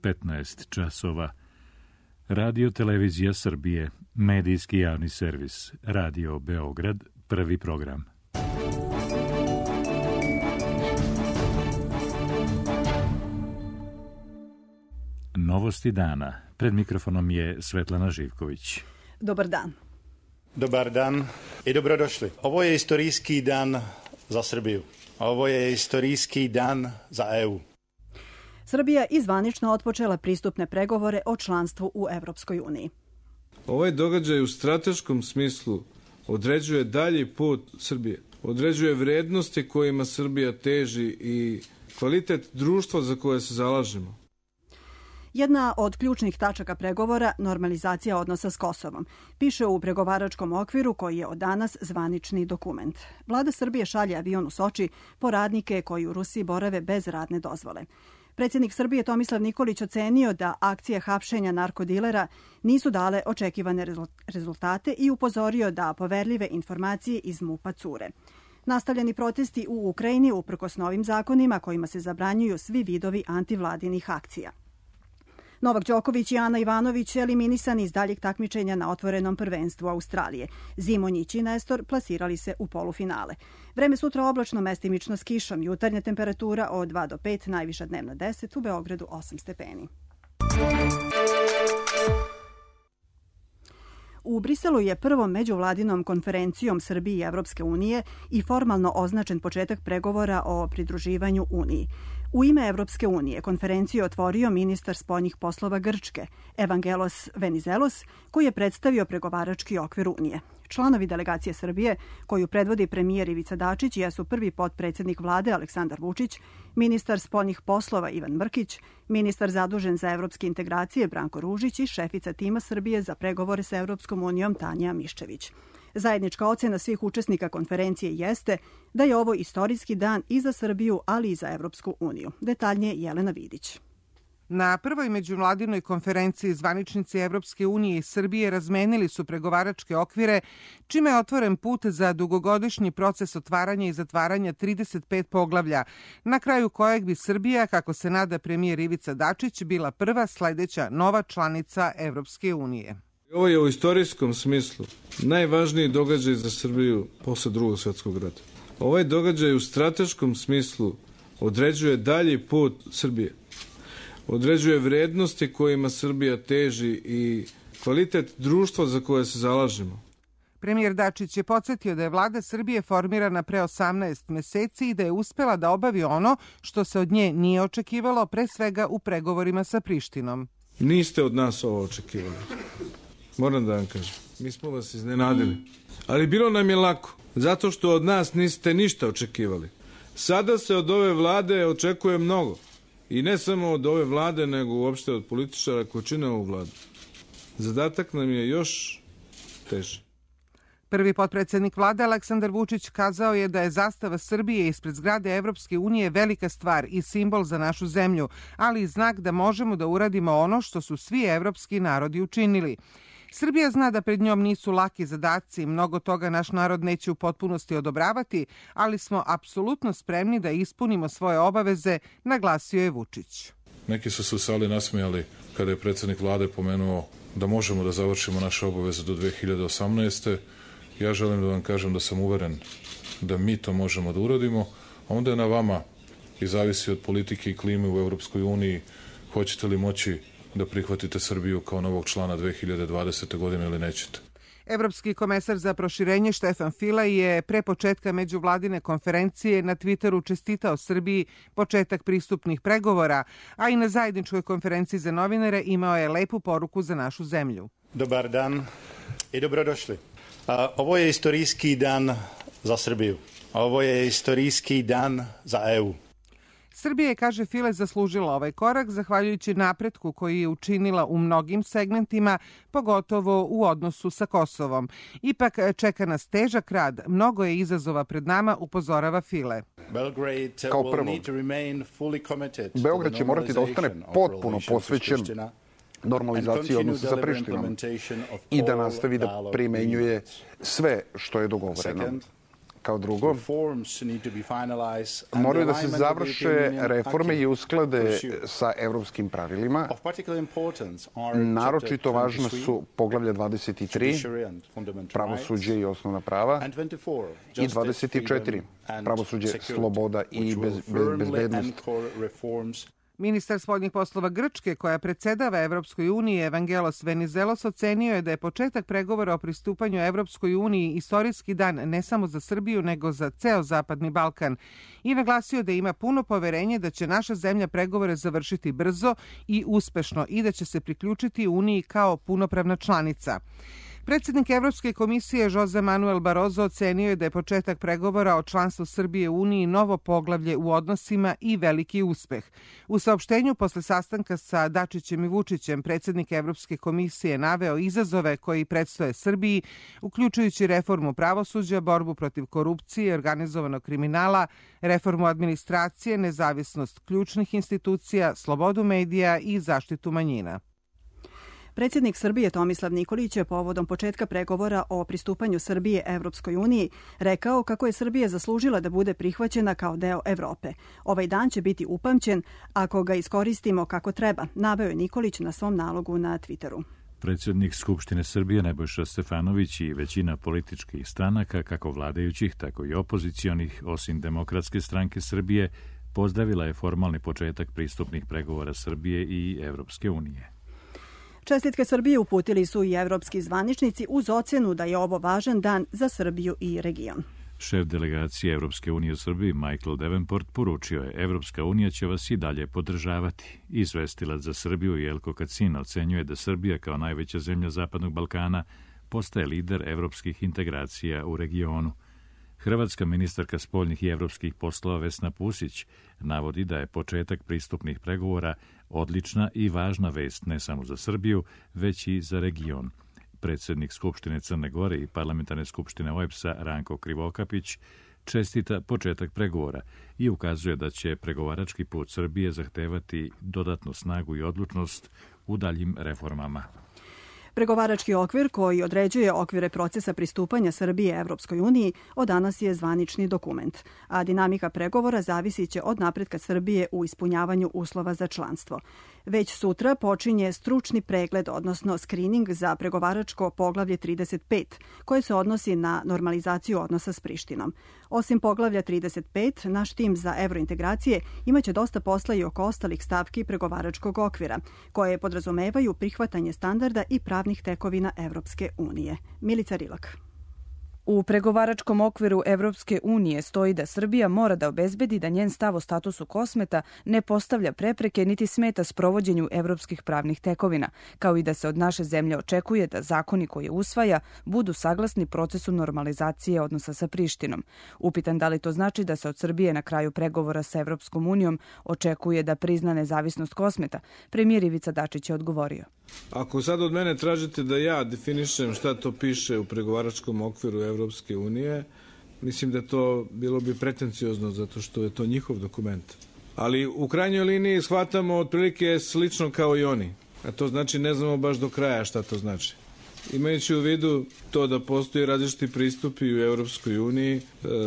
15 časova. Radio Televizija Srbije, medijski javni servis, Radio Beograd, prvi program. Novosti dana. Pred mikrofonom je Svetlana Živković. Dobar dan. Dobar dan i dobrodošli. Ovo je istorijski dan za Srbiju. Ovo je istorijski dan za EU. Srbija je zvanično otpočela pristupne pregovore o članstvu u Evropskoj uniji. Ovaj događaj u strateškom smislu određuje dalji put Srbije. Određuje vrednosti kojima Srbija teži i kvalitet društva za koje se zalažemo. Jedna od ključnih tačaka pregovora, normalizacija odnosa s Kosovom, piše u pregovaračkom okviru koji je od danas zvanični dokument. Vlada Srbije šalje avion u Soči po radnike koji u Rusiji borave bez radne dozvole. Predsjednik Srbije Tomislav Nikolić ocenio da akcije hapšenja narkodilera nisu dale očekivane rezultate i upozorio da poverljive informacije iz MUP-a cure. Nastavljeni protesti u Ukrajini uprkos novim zakonima kojima se zabranjuju svi vidovi antivladinih akcija. Novak Đoković i Ana Ivanović eliminisani iz daljeg takmičenja na otvorenom prvenstvu Australije. Zimonjić i Nestor plasirali se u polufinale. Vreme sutra oblačno, mestimično s kišom. Jutarnja temperatura od 2 do 5, najviša dnevna 10, u Beogradu 8 stepeni. U Briselu je prvom međuvladinom konferencijom Srbije i Evropske unije i formalno označen početak pregovora o pridruživanju Uniji. U ime Evropske unije konferenciju otvorio ministar spoljnih poslova Grčke, Evangelos Venizelos, koji je predstavio pregovarački okvir Unije. Članovi delegacije Srbije, koju predvodi premijer Ivica Dačić, jesu prvi potpredsjednik vlade Aleksandar Vučić, ministar spoljnih poslova Ivan Mrkić, ministar zadužen za evropske integracije Branko Ružić i šefica tima Srbije za pregovore sa Evropskom unijom Tanja Miščević. Zajednička ocena svih učesnika konferencije jeste da je ovo istorijski dan i za Srbiju, ali i za Evropsku uniju. Detaljnije Jelena Vidić. Na prvoj međuvladinoj konferenciji zvaničnici Evropske unije i Srbije razmenili su pregovaračke okvire, čime je otvoren put za dugogodišnji proces otvaranja i zatvaranja 35 poglavlja, na kraju kojeg bi Srbija, kako se nada premijer Ivica Dačić, bila prva sledeća nova članica Evropske unije. Ovo je u istorijskom smislu najvažniji događaj za Srbiju posle Drugog svjetskog rata. Ovaj događaj u strateškom smislu određuje dalji put Srbije. Određuje vrednosti kojima Srbija teži i kvalitet društva za koje se zalažemo. Premijer Dačić je podsjetio da je vlada Srbije formirana pre 18 meseci i da je uspela da obavi ono što se od nje nije očekivalo, pre svega u pregovorima sa Prištinom. Niste od nas ovo očekivali. Moram da vam kažem. Mi smo vas iznenadili. Ali bilo nam je lako, zato što od nas niste ništa očekivali. Sada se od ove vlade očekuje mnogo. I ne samo od ove vlade, nego uopšte od političara koji čine ovu vladu. Zadatak nam je još teži. Prvi potpredsjednik vlade Aleksandar Vučić kazao je da je zastava Srbije ispred zgrade Evropske unije velika stvar i simbol za našu zemlju, ali i znak da možemo da uradimo ono što su svi evropski narodi učinili. Srbija zna da pred njom nisu laki zadaci, mnogo toga naš narod neće u potpunosti odobravati, ali smo apsolutno spremni da ispunimo svoje obaveze, naglasio je Vučić. Neki su se u sali nasmijali kada je predsjednik vlade pomenuo da možemo da završimo naše obaveze do 2018. Ja želim da vam kažem da sam uveren da mi to možemo da uradimo, a onda je na vama i zavisi od politike i klime u Evropskoj uniji hoćete li moći da prihvatite Srbiju kao novog člana 2020. godine ili nećete. Evropski komesar za proširenje Štefan File je pre početka međuvladine konferencije na Twitteru čestitao Srbiji početak pristupnih pregovora, a i na zajedničkoj konferenciji za novinare imao je lepu poruku za našu zemlju. Dobar dan i dobrodošli. Ovo je istorijski dan za Srbiju. Ovo je istorijski dan za EU. Srbija je, kaže File, zaslužila ovaj korak zahvaljujući napretku koji je učinila u mnogim segmentima, pogotovo u odnosu sa Kosovom. Ipak čeka nas težak rad, mnogo je izazova pred nama, upozorava File. Kao prvo, Beograd će morati da ostane potpuno posvećen normalizaciji odnosa sa Prištinom i da nastavi da primenjuje sve što je dogovoreno. Kao drugo, moraju da se završe reforme i usklade sa evropskim pravilima. Naročito važna su poglavlja 23, pravosuđe i osnovna prava, i 24, pravosuđe, sloboda i bezbednost. Ministar spoljnih poslova Grčke, koja predsedava Evropskoj uniji, Evangelos Venizelos, ocenio je da je početak pregovora o pristupanju Evropskoj uniji istorijski dan ne samo za Srbiju, nego za ceo Zapadni Balkan i naglasio da ima puno poverenje da će naša zemlja pregovore završiti brzo i uspešno i da će se priključiti Uniji kao punopravna članica. Predsjednik Evropske komisije Jose Manuel Barroso ocenio je da je početak pregovora o članstvu Srbije u Uniji novo poglavlje u odnosima i veliki uspeh. U saopštenju posle sastanka sa Dačićem i Vučićem predsjednik Evropske komisije naveo izazove koji predstoje Srbiji, uključujući reformu pravosuđa, borbu protiv korupcije, organizovanog kriminala, reformu administracije, nezavisnost ključnih institucija, slobodu medija i zaštitu manjina. Predsjednik Srbije Tomislav Nikolić je povodom početka pregovora o pristupanju Srbije Evropskoj uniji rekao kako je Srbija zaslužila da bude prihvaćena kao deo Evrope. Ovaj dan će biti upamćen ako ga iskoristimo kako treba, naveo je Nikolić na svom nalogu na Twitteru. Predsjednik Skupštine Srbije Nebojša Stefanović i većina političkih stranaka, kako vladajućih, tako i opozicionih, osim Demokratske stranke Srbije, pozdravila je formalni početak pristupnih pregovora Srbije i Evropske unije. Čestitke Srbije uputili su i evropski zvaničnici uz ocenu da je ovo važan dan za Srbiju i region. Šef delegacije Evropske unije u Srbiji Michael Davenport poručio je: Evropska unija će vas i dalje podržavati. Izvestilac za Srbiju Jelko Kacin ocenjuje da Srbija kao najveća zemlja Zapadnog Balkana postaje lider evropskih integracija u regionu. Hrvatska ministarka spoljnih i evropskih poslova Vesna Pusić navodi da je početak pristupnih pregovora odlična i važna vest ne samo za Srbiju, već i za region. Predsjednik Skupštine Crne Gore i Parlamentarne skupštine OEBS-a Ranko Krivokapić čestita početak pregovora i ukazuje da će pregovarački put Srbije zahtevati dodatnu snagu i odlučnost u daljim reformama. Pregovarački okvir koji određuje okvire procesa pristupanja Srbije Evropskoj uniji od danas je zvanični dokument, a dinamika pregovora zavisit će od napretka Srbije u ispunjavanju uslova za članstvo. Već sutra počinje stručni pregled, odnosno skrining za pregovaračko poglavlje 35, koje se odnosi na normalizaciju odnosa s Prištinom. Osim poglavlja 35, naš tim za evrointegracije imaće dosta posla i oko ostalih stavki pregovaračkog okvira, koje podrazumevaju prihvatanje standarda i pravnih tekovina Evropske unije. Milica Rilak. U pregovaračkom okviru Evropske unije stoji da Srbija mora da obezbedi da njen stav o statusu kosmeta ne postavlja prepreke niti smeta sprovođenju evropskih pravnih tekovina, kao i da se od naše zemlje očekuje da zakoni koje usvaja budu saglasni procesu normalizacije odnosa sa Prištinom. Upitan da li to znači da se od Srbije na kraju pregovora sa Evropskom unijom očekuje da prizna nezavisnost kosmeta, premijer Ivica Dačić je odgovorio: Ako sad od mene tražite da ja definišem šta to piše u pregovaračkom okviru Evropske unije, mislim da to bilo bi pretenciozno zato što je to njihov dokument. Ali u krajnjoj liniji shvatamo otprilike slično kao i oni. A to znači ne znamo baš do kraja šta to znači. Imajući u vidu to da postoji različiti pristupi u Evropskoj uniji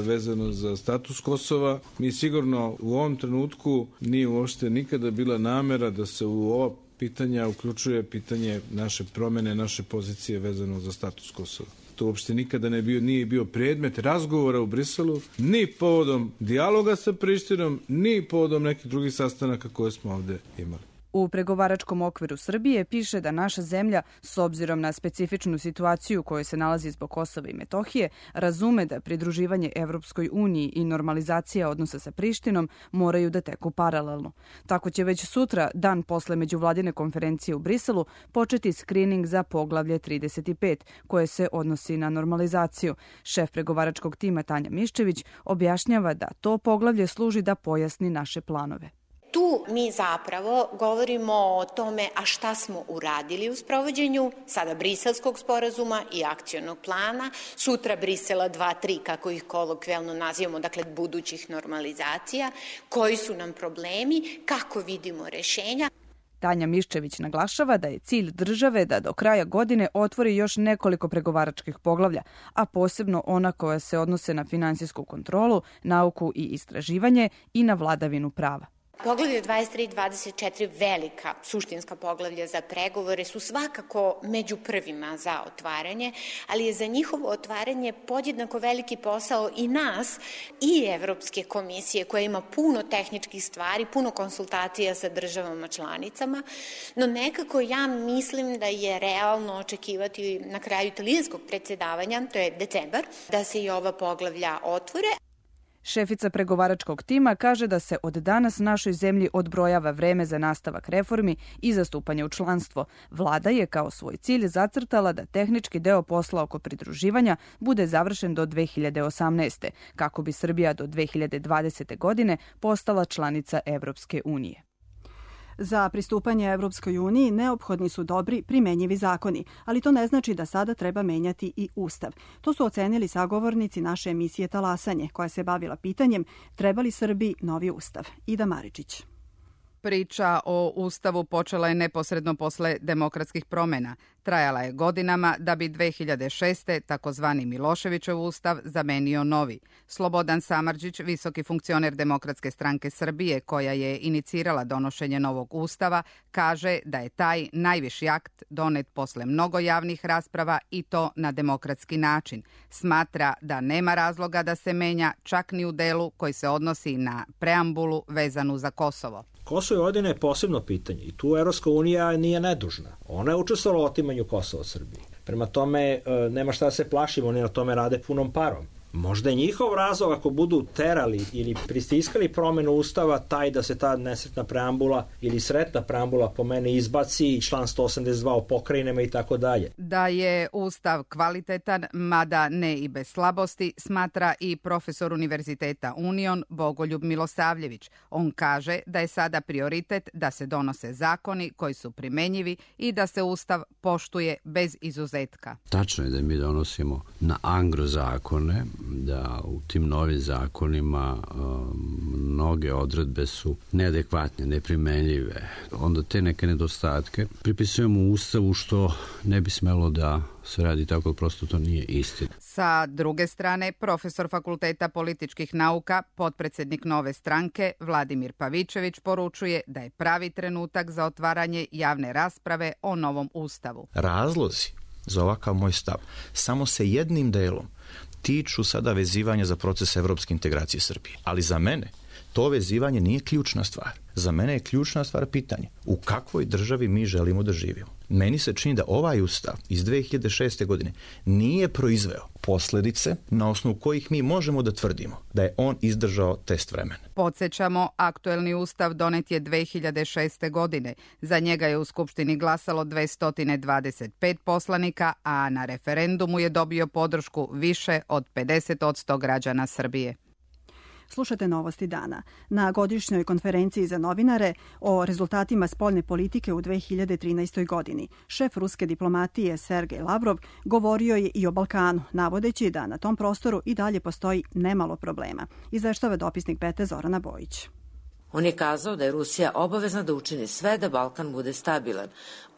vezano za status Kosova, mi sigurno u ovom trenutku nije uopšte nikada bila namera da se u ova pitanja uključuje pitanje naše promene, naše pozicije vezano za status Kosova. To uopšte nikada nije bio predmet razgovora u Briselu, ni povodom dijaloga sa Prištinom, ni povodom nekih drugih sastanaka koje smo ovde imali. U pregovaračkom okviru Srbije piše da naša zemlja, s obzirom na specifičnu situaciju u kojoj se nalazi zbog Kosova i Metohije, razume da pridruživanje Evropskoj uniji i normalizacija odnosa sa Prištinom moraju da teku paralelno. Tako će već sutra, dan posle međuvladine konferencije u Briselu, početi skrining za poglavlje 35, koje se odnosi na normalizaciju. Šef pregovaračkog tima Tanja Miščević objašnjava da to poglavlje služi da pojasni naše planove. Tu mi zapravo govorimo o tome a šta smo uradili u sprovođenju sada Briselskog sporazuma i akcionog plana, sutra Brisela 2-3, kako ih kolokvijalno nazivamo, dakle budućih normalizacija, koji su nam problemi, kako vidimo rešenja. Tanja Miščević naglašava da je cilj države da do kraja godine otvori još nekoliko pregovaračkih poglavlja, a posebno ona koja se odnose na finansijsku kontrolu, nauku i istraživanje i na vladavinu prava. Poglavlje 23 i 24, velika suštinska poglavlja za pregovore, su svakako među prvima za otvaranje, ali je za njihovo otvaranje podjednako veliki posao i nas i Evropske komisije, koja ima puno tehničkih stvari, puno konsultacija sa državama članicama, no nekako ja mislim da je realno očekivati na kraju italijanskog predsjedavanja, to je decembar, da se i ova poglavlja otvore. Šefica pregovaračkog tima kaže da se od danas našoj zemlji odbrojava vreme za nastavak reformi i zastupanje u članstvo. Vlada je kao svoj cilj zacrtala da tehnički deo posla oko pridruživanja bude završen do 2018. kako bi Srbija do 2020. godine postala članica Evropske unije. Za pristupanje Evropskoj uniji neophodni su dobri, primenjivi zakoni, ali to ne znači da sada treba menjati i Ustav. To su ocenili sagovornici naše emisije Talasanje, koja se bavila pitanjem treba li Srbiji novi Ustav. Ida Maričić. Priča o Ustavu počela je neposredno posle demokratskih promena. Trajala je godinama da bi 2006. takozvani Miloševićev ustav zamenio novi. Slobodan Samardžić, visoki funkcioner Demokratske stranke Srbije, koja je inicirala donošenje novog ustava, kaže da je taj najviši akt donet posle mnogo javnih rasprava i to na demokratski način. Smatra da nema razloga da se menja čak ni u delu koji se odnosi na preambulu vezanu za Kosovo. Kosovo i Vojvodina je posebno pitanje i tu Evropska unija nije nedužna. Ona je učestvovala u otimanju Kosova od Srbije. Prema tome, nema šta da se plašimo, oni na tome rade punom parom. Možda je njihov razlog ako budu terali ili pristiskali promenu ustava taj da se ta nesretna preambula ili sretna preambula po mene izbaci i član 182 o pokrajinama i tako dalje. Da je ustav kvalitetan, mada ne i bez slabosti, smatra i profesor Univerziteta Union Bogoljub Milosavljević. On kaže da je sada prioritet da se donose zakoni koji su primenjivi i da se ustav poštuje bez izuzetka. Tačno je da mi donosimo na angro zakone, da u tim novim zakonima mnoge odredbe su neadekvatne, neprimenljive. Onda te neke nedostatke pripisujemo u Ustavu što ne bi smelo da se radi tako, prosto to nije istina. Sa druge strane, profesor Fakulteta političkih nauka, potpredsednik Nove stranke, Vladimir Pavičević, poručuje da je pravi trenutak za otvaranje javne rasprave o novom Ustavu. Razlozi za ovakav moj stav samo se jednim delom tiču sada vezivanja za proces evropske integracije Srbije. Ali za mene to vezivanje nije ključna stvar. Za mene je ključna stvar pitanje u kakvoj državi mi želimo da živimo. Meni se čini da ovaj ustav iz 2006. godine nije proizveo posledice na osnovu kojih mi možemo da tvrdimo da je on izdržao test vremena. Podsjećamo, aktuelni ustav donet je 2006. godine. Za njega je u Skupštini glasalo 225 poslanika, a na referendumu je dobio podršku više od 50% građana Srbije. Slušate Novosti dana. Na godišnjoj konferenciji za novinare o rezultatima spoljne politike u 2013. godini šef ruske diplomatije Sergej Lavrov govorio je i o Balkanu, navodeći da na tom prostoru i dalje postoji nemalo problema. Izveštava dopisnik Bete Zorana Bojić. On je kazao da je Rusija obavezna da učini sve da Balkan bude stabilan.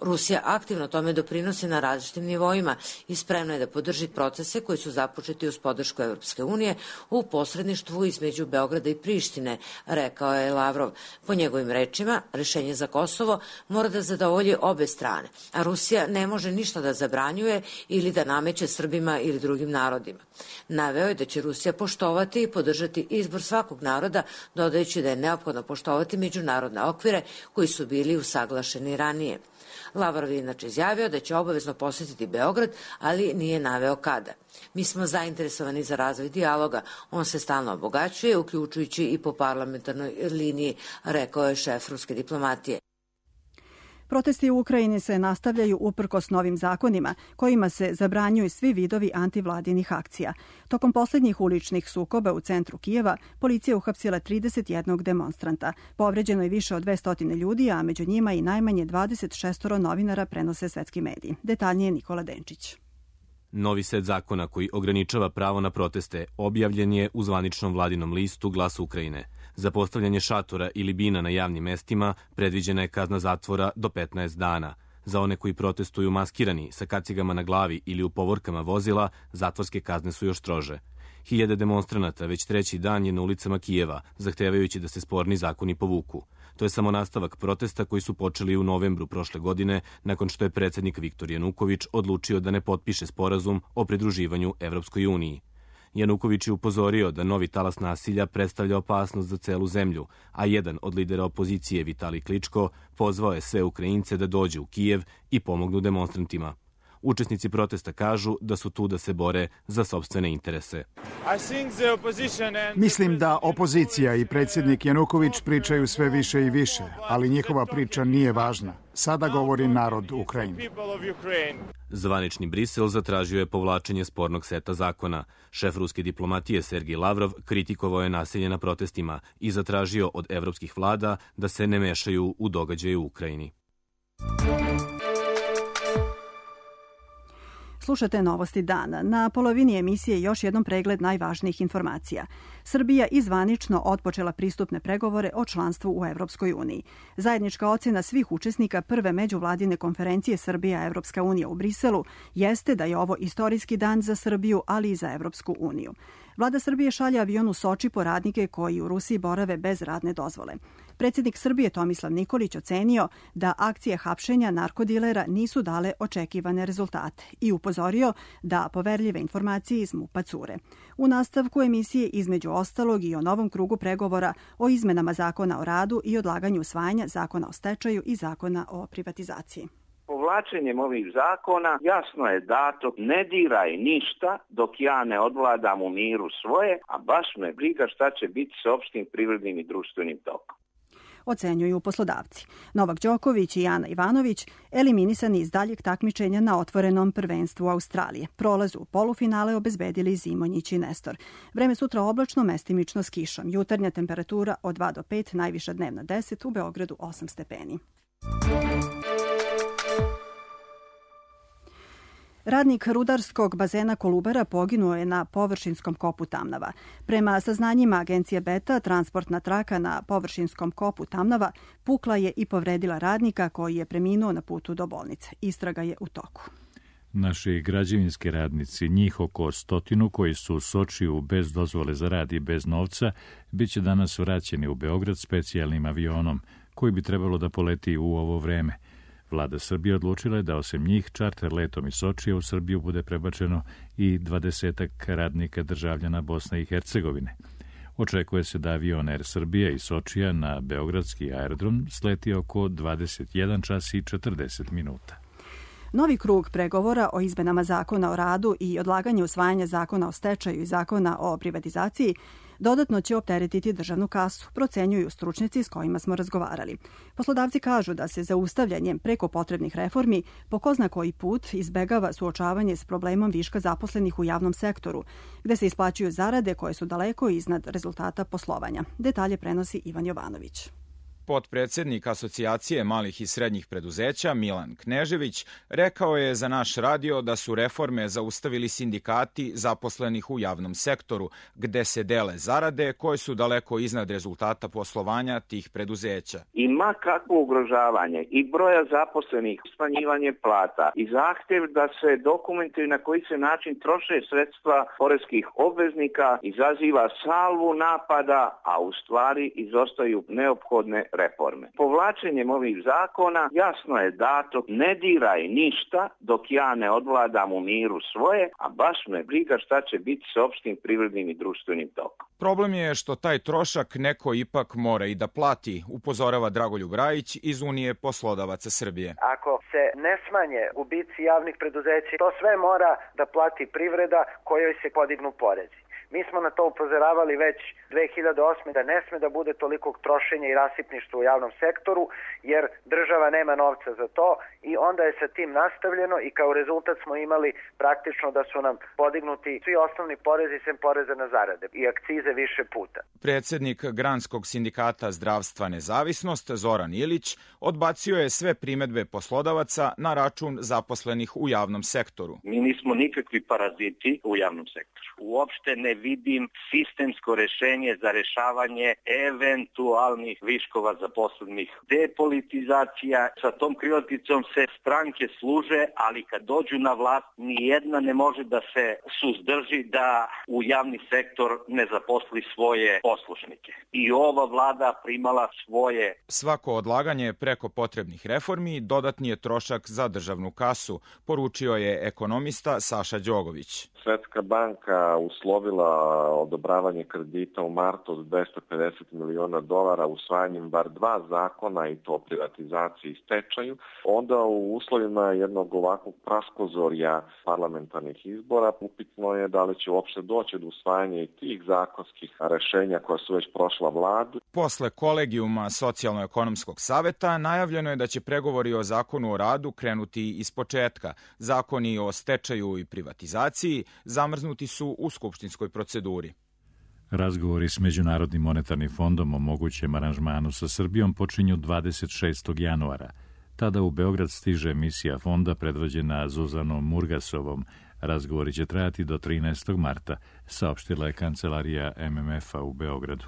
Rusija aktivno tome doprinosi na različitim nivoima i spremna je da podrži procese koji su započeti uz podršku Evropske unije u posredništvu između Beograda i Prištine, rekao je Lavrov. Po njegovim rečima, rešenje za Kosovo mora da zadovolji obe strane, a Rusija ne može ništa da zabranjuje ili da nameće Srbima ili drugim narodima. Naveo je da će Rusija poštovati i podržati izbor svakog naroda, dodajući da je neophodno poštovati međunarodne okvire koji su bili usaglašeni ranije. Lavrov je inače izjavio da će obavezno posjetiti Beograd, ali nije naveo kada. Mi smo zainteresovani za razvoj dijaloga. On se stalno obogaćuje, uključujući i po parlamentarnoj liniji, rekao je šef ruske diplomatije. Protesti u Ukrajini se nastavljaju uprkos novim zakonima kojima se zabranjuju svi vidovi antivladinih akcija. Tokom posljednjih uličnih sukoba u centru Kijeva policija uhapsila 31 demonstranta. Povređeno je više od 200 ljudi, a među njima i najmanje 26 novinara, prenose svetski mediji. Detaljnije Nikola Denčić. Novi set zakona koji ograničava pravo na proteste objavljen je u zvaničnom vladinom listu Glas Ukrajine. Za postavljanje šatora ili bina na javnim mestima predviđena je kazna zatvora do 15 dana. Za one koji protestuju maskirani, sa kacigama na glavi ili u povorkama vozila, zatvorske kazne su još strože. Hiljade demonstranata već treći dan je na ulicama Kijeva, zahtevajući da se sporni zakoni povuku. To je samo nastavak protesta koji su počeli u novembru prošle godine, nakon što je predsjednik Viktor Januković odlučio da ne potpiše sporazum o pridruživanju Evropskoj uniji. Januković je upozorio da novi talas nasilja predstavlja opasnost za celu zemlju, a jedan od lidera opozicije, Vitalij Kličko, pozvao je sve Ukrajince da dođu u Kijev i pomognu demonstrantima. Učesnici protesta kažu da su tu da se bore za sopstvene interese. Mislim da opozicija i predsjednik Januković pričaju sve više i više, ali njihova priča nije važna. Sada govori narod Ukrajine. Zvanični Brisel zatražio je povlačenje spornog seta zakona. Šef ruske diplomatije Sergij Lavrov kritikovao je nasilje na protestima i zatražio od evropskih vlada da se ne mešaju u događaje u Ukrajini. Slušate Novosti dana. Na polovini emisije još jednom pregled najvažnijih informacija. Srbija izvanično otpočela pristupne pregovore o članstvu u Evropskoj uniji. Zajednička ocjena svih učesnika prve međuvladine konferencije Srbija-Evropska unija u Briselu jeste da je ovo istorijski dan za Srbiju, ali i za Evropsku uniju. Vlada Srbije šalje avion u Soči po radnike koji u Rusiji borave bez radne dozvole. Predsjednik Srbije Tomislav Nikolić ocenio da akcije hapšenja narkodilera nisu dale očekivane rezultate i upozorio da poverljive informacije iz MUP-a cure. U nastavku emisije između ostalog i o novom krugu pregovora o izmenama zakona o radu i odlaganju usvajanja zakona o stečaju i zakona o privatizaciji. Povlačenjem ovih zakona jasno je dato ne diraj ništa dok ja ne odvladam u miru svoje, a baš me briga šta će biti s opštim privrednim i društvenim tokom. Ocenjuju poslodavci. Novak Đoković i Ana Ivanović eliminisani iz daljeg takmičenja na otvorenom prvenstvu Australije. Prolaz u polufinale obezbedili Zimonjić i Nestor. Vreme sutra oblačno, mestimično s kišom. Jutarnja temperatura od 2 do 5, najviša dnevna 10, u Beogradu 8 stepeni. Radnik rudarskog bazena Kolubara poginuo je na površinskom kopu Tamnava. Prema saznanjima agencije Beta, transportna traka na površinskom kopu Tamnava pukla je i povredila radnika koji je preminuo na putu do bolnice. Istraga je u toku. Naši građevinski radnici, njih oko 100 koji su u Sočiju bez dozvole za rad i bez novca, bit će danas vraćeni u Beograd specijalnim avionom koji bi trebalo da poleti u ovo vreme. Vlada Srbije odlučila je da osim njih čarter letom iz Sočija u Srbiju bude prebačeno i 20 radnika državljana Bosne i Hercegovine. Očekuje se da avion Air Srbija iz Sočija na beogradski aerodrom sleti oko 21 čas i 40 minuta. Novi krug pregovora o izmenama zakona o radu i odlaganju usvajanja zakona o stečaju i zakona o privatizaciji dodatno će opteretiti državnu kasu, procenjuju stručnjaci s kojima smo razgovarali. Poslodavci kažu da se zaustavljanjem preko potrebnih reformi po ko zna koji put izbegava suočavanje s problemom viška zaposlenih u javnom sektoru, gde se isplaćuju zarade koje su daleko iznad rezultata poslovanja. Detalje prenosi Ivan Jovanović. Potpredsjednik Asocijacije malih i srednjih preduzeća Milan Knežević rekao je za naš radio da su reforme zaustavili sindikati zaposlenih u javnom sektoru, gde se dele zarade koje su daleko iznad rezultata poslovanja tih preduzeća. I ma kakvo ugrožavanje i broja zaposlenih, smanjivanje plata i zahtjev da se dokumentuju na koji se način troše sredstva poreskih obveznika izaziva salvu napada, a u stvari izostaju neophodne reforme. Povlačenjem ovih zakona jasno je dato ne diraj ništa dok ja ne odvladam u miru svoje, a baš me briga šta će biti s opštim privrednim i društvenim tokom. Problem je što taj trošak neko ipak mora i da plati, upozorava Dragoljub Rajić iz Unije poslodavaca Srbije. Ako se ne smanje gubici javnih preduzeća, to sve mora da plati privreda kojoj se podignu porezi. Mi smo na to upozoravali već 2008. da ne sme da bude tolikog trošenja i rasipništva u javnom sektoru, jer država nema novca za to i onda je sa tim nastavljeno i kao rezultat smo imali praktično da su nam podignuti svi osnovni porezi sem poreza na zarade i akcize više puta. Predsjednik Granskog sindikata zdravstva Nezavisnost Zoran Ilić odbacio je sve primedbe poslodavaca na račun zaposlenih u javnom sektoru. Mi nismo nikakvi paraziti u javnom sektoru. Uopšte ne vidim sistemsko rešenje za rešavanje eventualnih viškova zaposlenih. Depolitizacija, sa tom krilaticom se stranke služe, ali kad dođu na vlast, nijedna ne može da se suzdrži da u javni sektor ne zaposli svoje poslušnike. I ova vlada primala svoje. Svako odlaganje preko potrebnih reformi dodatni je trošak za državnu kasu, poručio je ekonomista Saša Đogović. Svetska banka uslovila odobravanje kredita u martu od $250 miliona usvajanjem bar 2 zakona, i to o privatizaciji i stečaju. Onda u uslovima jednog ovakvog praskozorja parlamentarnih izbora upitno je da li će uopšte doći do usvajanja i tih zakonskih rešenja koja su već prošla vladu. Posle kolegijuma Socijalno-ekonomskog saveta najavljeno je da će pregovori o zakonu o radu krenuti iz početka. Zakoni o stečaju i privatizaciji zamrznuti su u skupštinskoj proceduri. Razgovori s Međunarodnim monetarnim fondom o mogućem aranžmanu sa Srbijom počinju 26. januara. Tada u Beograd stiže misija fonda predvođena Zuzanom Murgasovom. Razgovori će trajati do 13. marta, saopštila je kancelarija MMF-a u Beogradu.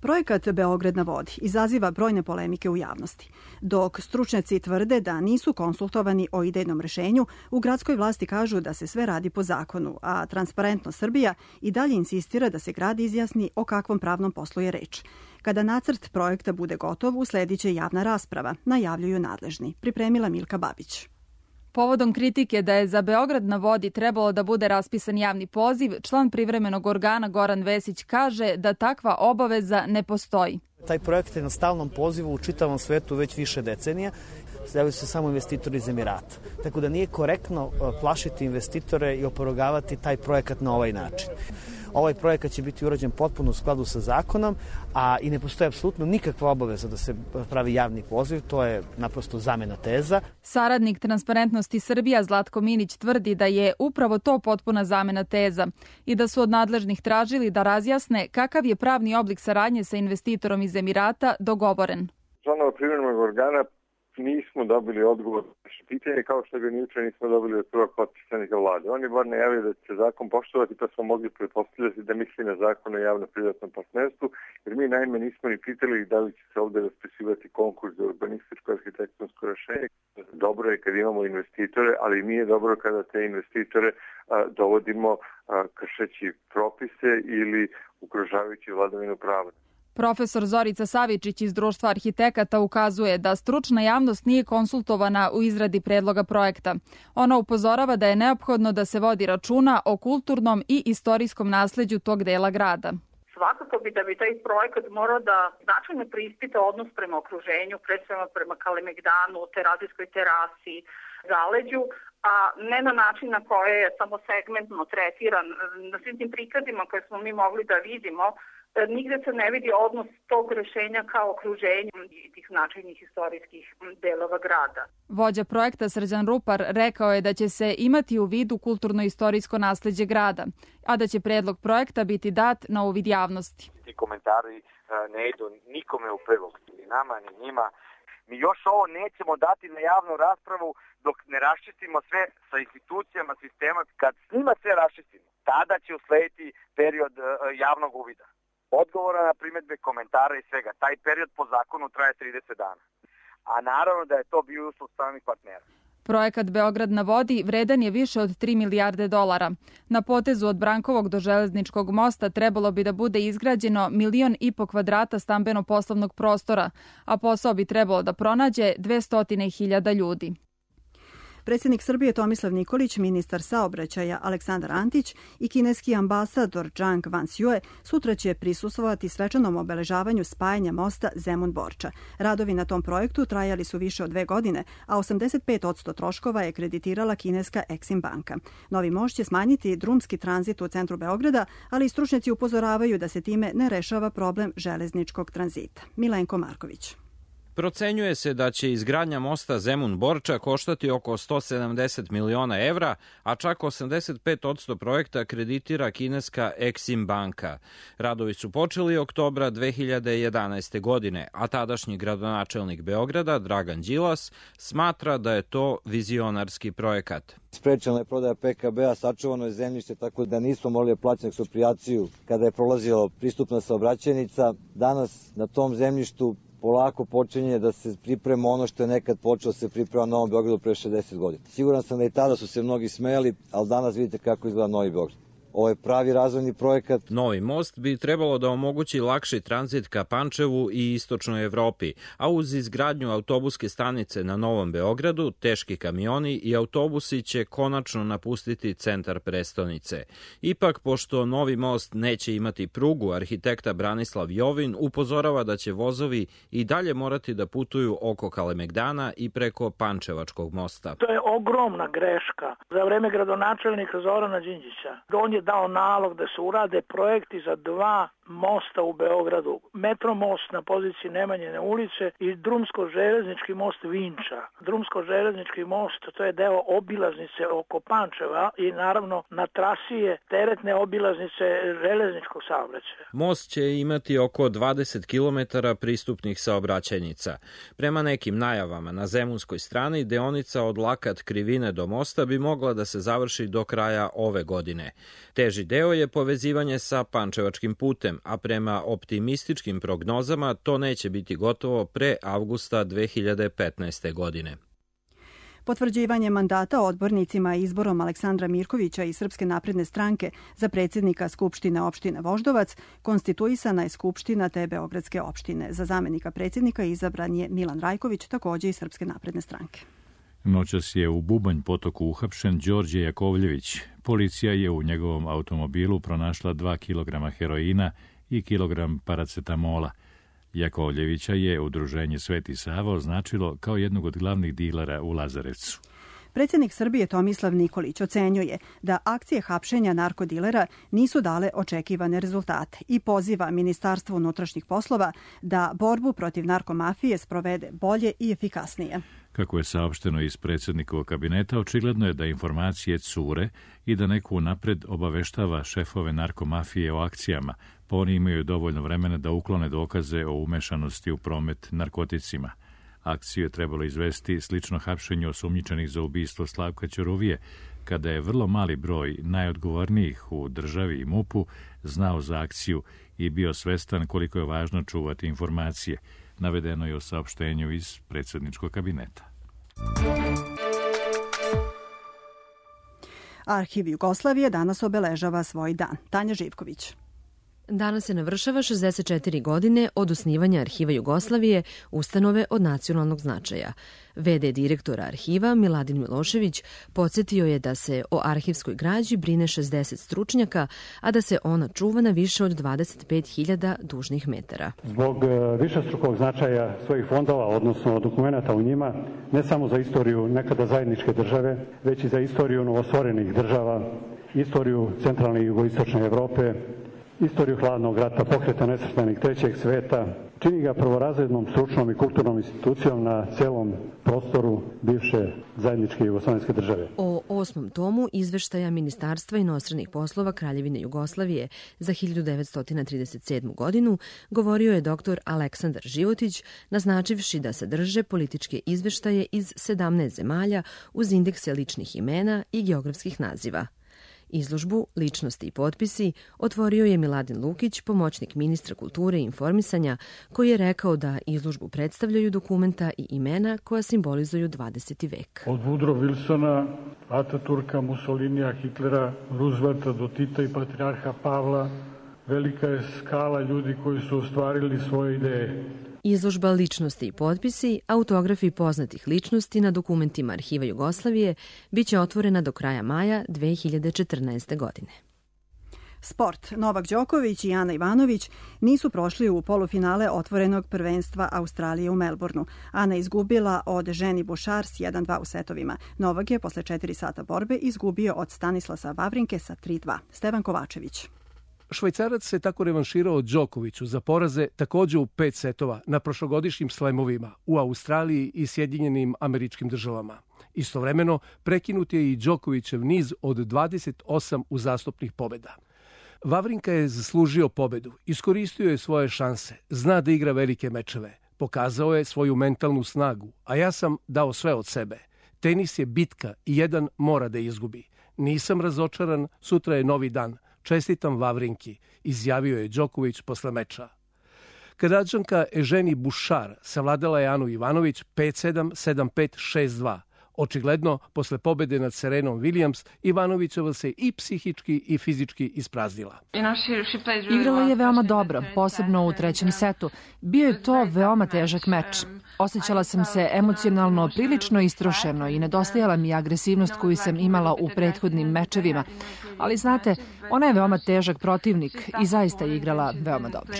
Projekat Beograd na vodi izaziva brojne polemike u javnosti. Dok stručnjaci tvrde da nisu konsultovani o idejnom rešenju, u gradskoj vlasti kažu da se sve radi po zakonu, a Transparentno Srbija i dalje insistira da se grad izjasni o kakvom pravnom poslu je reč. Kada nacrt projekta bude gotov, usledit će javna rasprava, najavljuju nadležni. Pripremila Milka Babić. Povodom kritike da je za Beograd na vodi trebalo da bude raspisan javni poziv, član privremenog organa Goran Vesić kaže da takva obaveza ne postoji. Taj projekt je na stalnom pozivu u čitavom svetu već više decenija. Javljaju se samo investitori iz Emirata. Tako da nije korektno plašiti investitore i oporogavati taj projekat na ovaj način. Ovaj projekat će biti urađen potpuno u skladu sa zakonom, a i ne postoji apsolutno nikakva obaveza da se pravi javni poziv, to je naprosto zamena teza. Saradnik Transparentnosti Srbija Zlatko Minić tvrdi da je upravo to potpuna zamena teza i da su od nadležnih tražili da razjasne kakav je pravni oblik saradnje sa investitorom iz Emirata dogovoren. Članova privremenog organa nismo dobili odgovor na naše pitanje, kao što ga nijuče nismo dobili od prvog potpisnika vlade. On je bar najavio da će zakon poštovati, pa smo mogli pretpostavljati da misli na zakon o javno-privatnom partnerstvu, jer mi naime nismo ni pitali da li će se ovde raspisivati konkurs za urbanističko arhitektonsko rešenje. Dobro je kad imamo investitore, ali nije dobro kada te investitore dovodimo kršeći propise ili ugrožavajući vladavinu prava. Profesor Zorica Savičić iz Društva arhitekata ukazuje da stručna javnost nije konsultovana u izradi predloga projekta. Ona upozorava da je neophodno da se vodi računa o kulturnom i istorijskom nasleđu tog dela grada. Svakako da bi taj projekat morao da značajno preispita odnos prema okruženju, predstavljamo prema Kalemegdanu, Terazijskoj terasi, zaleđu, a ne na način na koje je samo segmentno tretiran. Na svim tim prikazima koje smo mi mogli da vidimo, nigde se ne vidi odnos tog rešenja kao okruženja tih značajnih istorijskih delova grada. Vođa projekta Srđan Rupar rekao je da će se imati u vidu kulturno-istorijsko nasleđe grada, a da će predlog projekta biti dat na uvid javnosti. Ti komentari ne idu nikome u prilog, ni nama, ni njima. Mi još ovo nećemo dati na javnu raspravu dok ne raščistimo sve sa institucijama sistema. Kad s njima sve raščistimo, tada će uslediti period javnog uvida. Odgovora na primedbe, komentara i svega. Taj period po zakonu traje 30 dana. A naravno da je to bio uslov stranih partnera. Projekat Beograd na vodi vredan je više od 3 milijarde dolara. Na potezu od Brankovog do Železničkog mosta trebalo bi da bude izgrađeno 1,5 miliona kvadrata stambeno-poslovnog prostora, a posao bi trebalo da pronađe 200.000 ljudi. Predsjednik Srbije Tomislav Nikolić, ministar saobraćaja Aleksandar Antić i kineski ambasador Zhang Wanxiue sutra će prisustvovati svečanom obeležavanju spajanja mosta Zemun-Borča. Radovi na tom projektu trajali su više od 2 godine, a 85% troškova je kreditirala kineska Exim banka. Novi most će smanjiti drumski tranzit u centru Beograda, ali i stručnjaci upozoravaju da se time ne rešava problem železničkog tranzita. Milenko Marković. Procenjuje se da će izgradnja mosta Zemun-Borča koštati oko 170 miliona evra, a čak 85% projekta kreditira kineska Exim banka. Radovi su počeli oktobra 2011. godine, a tadašnji gradonačelnik Beograda, Dragan Đilas, smatra da je to vizionarski projekat. Sprečena je prodaja PKB-a, sačuvano je zemljište tako da nismo morali plaćati eksproprijaciju kada je prolazila pristupna saobraćajnica. Danas na tom zemljištu polako počinje da se priprema ono što je nekad počelo se priprema na Novom Beogradu pre 60 godina. Siguran sam da i tada su se mnogi smejali, ali danas vidite kako izgleda Novi Beograd. Ovo je pravi razvojni projekat. Novi most bi trebalo da omogući lakši tranzit ka Pančevu i istočnoj Evropi, a uz izgradnju autobuske stanice na Novom Beogradu, teški kamioni i autobusi će konačno napustiti centar prestonice. Ipak, pošto novi most neće imati prugu, arhitekta Branislav Jovin upozorava da će vozovi i dalje morati da putuju oko Kalemegdana i preko Pančevačkog mosta. To je ogromna greška. Za vreme gradonačelnika Zorana Đinđića on je dao nalog da se urade projekti za 2 mosta u Beogradu. Metromost na poziciji Nemanjine ulice i drumsko-železnički most Vinča. Drumsko-železnički most, to je deo obilaznice oko Pančeva i naravno na trasi je teretne obilaznice železničkog saobraćaja. Most će imati oko 20 km pristupnih saobraćajnica. Prema nekim najavama na zemunskoj strani deonica od Lakat Krivine do mosta bi mogla da se završi do kraja ove godine. Teži deo je povezivanje sa Pančevačkim putem, a prema optimističkim prognozama to neće biti gotovo pre avgusta 2015. godine. Potvrđivanje mandata odbornicima izborom Aleksandra Mirkovića iz Srpske napredne stranke za predsjednika Skupštine opštine Voždovac konstituisana je Skupština te Beogradske opštine. Za zamenika predsjednika izabran je Milan Rajković, također iz Srpske napredne stranke. Noćas je u Bubanj potoku uhapšen Đorđe Jakovljević. Policija je u njegovom automobilu pronašla 2 kg heroina i kilogram paracetamola. Jakovljevića je udruženje Sveti Sava označilo kao jednog od glavnih dilera u Lazarevcu. Predsjednik Srbije Tomislav Nikolić ocenjuje da akcije hapšenja narkodilera nisu dale očekivane rezultate i poziva Ministarstvo unutrašnjih poslova da borbu protiv narkomafije sprovede bolje i efikasnije. Kako je saopšteno iz predsjednikovog kabineta, očigledno je da informacije cure i da neko napred obaveštava šefove narkomafije o akcijama, pa oni imaju dovoljno vremena da uklone dokaze o umešanosti u promet narkoticima. Akciju je trebalo izvesti slično hapšenju osumnjičenih za ubistvo Slavka Ćuruvije, kada je vrlo mali broj najodgovornijih u državi i MUP-u znao za akciju i bio svestan koliko je važno čuvati informacije. Navedeno je u saopštenju iz predsjedničkog kabineta. Arhiv Jugoslavije danas obeležava svoj dan. Tanja Živković. Danas se navršava 64 godine od osnivanja Arhiva Jugoslavije, ustanove od nacionalnog značaja. VD direktora arhiva Miladin Milošević podsjetio je da se o arhivskoj građi brine 60 stručnjaka, a da se ona čuva na više od 25.000 dužnih metara. Zbog višestrukog značaja svojih fondova, odnosno dokumenta u njima, ne samo za istoriju nekada zajedničke države, već i za istoriju novostvorenih država, istoriju centralne i jugoistočne Evrope, istoriju hladnog rata, pokreta nesvrstanih trećeg sveta, čini ga prvorazrednom stručnom i kulturnom institucijom na celom prostoru bivše zajedničke jugoslovenske države. O 8. tomu izveštaja Ministarstva inostranih poslova Kraljevine Jugoslavije za 1937. godinu govorio je dr. Aleksandar Životić, naznačivši da sadrže političke izveštaje iz 17 zemalja uz indekse ličnih imena i geografskih naziva. Izložbu Ličnosti i potpisi otvorio je Miladin Lukić, pomoćnik ministra kulture i informisanja, koji je rekao da izložbu predstavljaju dokumenta i imena koja simbolizuju 20. vek. Od Woodrow Wilsona, Ataturka, Mussolinija, Hitlera, Roosevelta do Tita i patrijarha Pavla, velika je skala ljudi koji su ostvarili svoje ideje. Izložba Ličnosti i potpisi, autografi poznatih ličnosti na dokumentima Arhiva Jugoslavije, biće otvorena do kraja maja 2014. godine. Sport. Novak Đoković i Ana Ivanović nisu prošli u polufinale otvorenog prvenstva Australije u Melbourneu. Ana izgubila od Ženi Bušar s 1-2 u setovima. Novak je posle 4 sata borbe izgubio od Stanislasa Vavrinke sa 3-2. Stevan Kovačević. Švajcarac se tako revanširao Đokoviću za poraze takođe u 5 setova na prošlogodišnjim slemovima u Australiji i Sjedinjenim Američkim Državama. Istovremeno, prekinut je i Đokovićev niz od 28 uzastopnih pobeda. Vavrinka je zaslužio pobedu, iskoristio je svoje šanse, zna da igra velike mečeve, pokazao je svoju mentalnu snagu, a ja sam dao sve od sebe. Tenis je bitka i jedan mora da izgubi. Nisam razočaran, sutra je novi dan. Čestitam Vavrinki, izjavio je Đoković posle meča. Kanadžanka Eženi Bušar savladala je Anu Ivanović 5-7, 7-5, 6-2. Očigledno, posle pobede nad Serenom Williams, Ivanovićeva se i psihički i fizički ispraznila. Igrala je veoma dobro, posebno u trećem setu. Bio je to veoma težak meč. Osjećala sam se emocionalno prilično istrošeno i nedostajala mi agresivnost koju sam imala u prethodnim mečevima. Ali znate, ona je veoma težak protivnik i zaista je igrala veoma dobro.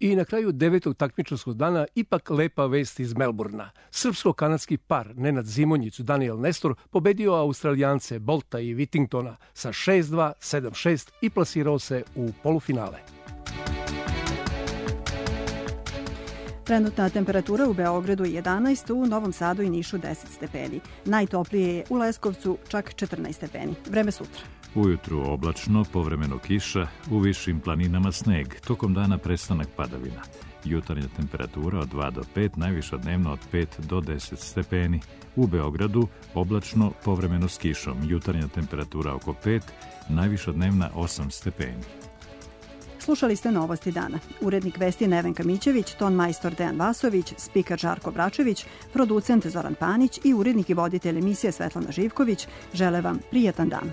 I na kraju 9. takmičarskog dana ipak lepa vest iz Melburna. Srpsko-kanadski par Nenad Zimonjić, Daniel Nestor pobedio Australijance Bolta i Whittingtona sa 6-2, 7-6 i plasirao se u polufinale. Trenutna temperatura u Beogradu je 11, u Novom Sadu i Nišu 10 stepeni. Najtoplije je u Leskovcu čak 14 stepeni. Vreme sutra. Ujutru oblačno, povremeno kiša, u višim planinama sneg, tokom dana prestanak padavina. Jutarnja temperatura od 2 do 5, najviša dnevno od 5 do 10 stepeni. U Beogradu oblačno, povremeno s kišom, jutarnja temperatura oko 5, najviša dnevna 8 stepeni. Slušali ste Novosti dana. Urednik vesti Nevenka Mićević, ton majstor Dejan Vasović, spiker Žarko Bračević, producent Zoran Panić i urednik i voditelj emisije Svetlana Živković žele vam prijatan dan.